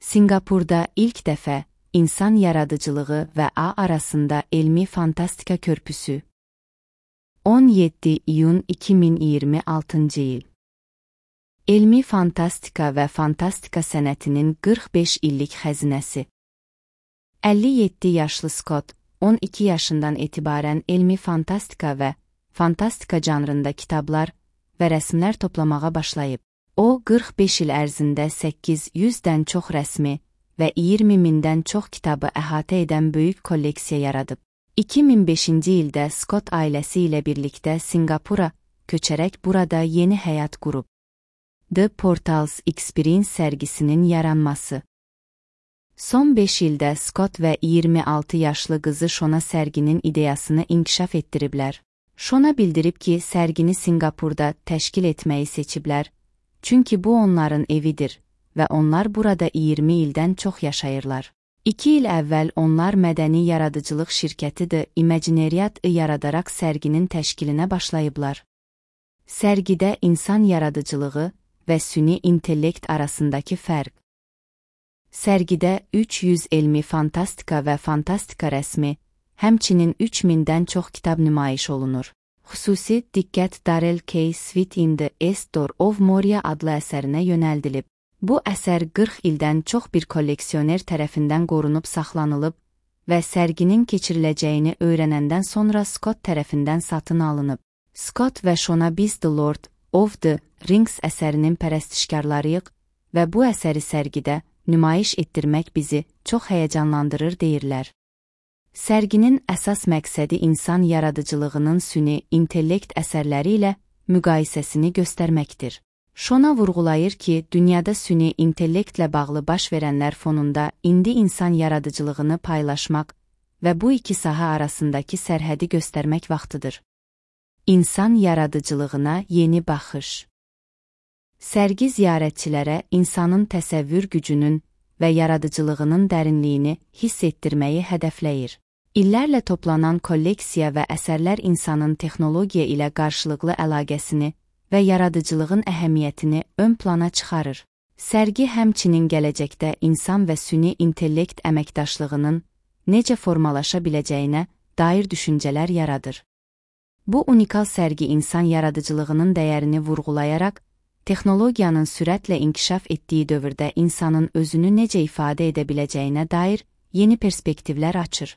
Singapurda ilk dəfə insan yaradıcılığı və A arasında elmi fantastika körpüsü. 17 iyun 2026 il. Elmi fantastika və fantastika sənətinin 45 illik xəzinəsi. 57 yaşlı Scott, 12 yaşından etibarən elmi fantastika və fantastika janrında kitablar və rəsmlər toplamağa başlayıb. O, 45 il ərzində 800-dən çox rəsmi və 20 mindən çox kitabı əhatə edən böyük kolleksiya yaradıb. 2005-ci ildə Scott ailəsi ilə birlikdə Singapura köçərək burada yeni həyat qurub. The Portals Experience sərgisinin yaranması. Son 5 ildə Scott və 26 yaşlı qızı Shona sərginin ideyasını inkişaf etdiriblər. Shona bildirib ki, sərgini Singapurda təşkil etməyi seçiblər, çünki bu onların evidir və onlar burada 20 ildən çox yaşayırlar. 2 il əvvəl onlar mədəni yaradıcılıq şirkəti The Imaginariat-ı yaradaraq sərginin təşkilinə başlayıblar. Sərgidə insan yaradıcılığı və süni intellekt arasındakı fərq. Sərgidə 300 elmi fantastika və fantastika rəsmi, həmçinin 3000-dən çox kitab nümayiş olunur. Xüsusi diqqət Darrell K. Sweet in the Store of Moria adlı əsərinə yönəldilib. Bu əsər 40 ildən çox bir kolleksioner tərəfindən qorunub saxlanılıb və sərginin keçiriləcəyini öyrənəndən sonra Scott tərəfindən satın alınıb. Scott və Shona biz The Lord of the Rings əsərinin pərəstişkarlarıyıq və bu əsəri sərgidə nümayiş etdirmək bizi çox həyəcanlandırır deyirlər. Sərginin əsas məqsədi insan yaradıcılığının süni intellekt əsərləri ilə müqayisəsini göstərməkdir. Shona vurğulayır ki, dünyada süni intellektlə bağlı baş verənlər fonunda indi insan yaradıcılığını paylaşmaq və bu iki sahə arasındakı sərhədi göstərmək vaxtıdır. İnsan yaradıcılığına yeni baxış. Sərgi ziyarətçilərə insanın təsəvvür gücünün və yaradıcılığının dərinliyini hiss etdirməyi hədəfləyir. İllərlə toplanan kolleksiya və əsərlər insanın texnologiya ilə qarşılıqlı əlaqəsini və yaradıcılığın əhəmiyyətini ön plana çıxarır. Sərgi həmçinin gələcəkdə insan və süni intellekt əməkdaşlığının necə formalaşa biləcəyinə dair düşüncələr yaradır. Bu unikal sərgi insan yaradıcılığının dəyərini vurğulayaraq, texnologiyanın sürətlə inkişaf etdiyi dövrdə insanın özünü necə ifadə edə biləcəyinə dair yeni perspektivlər açır.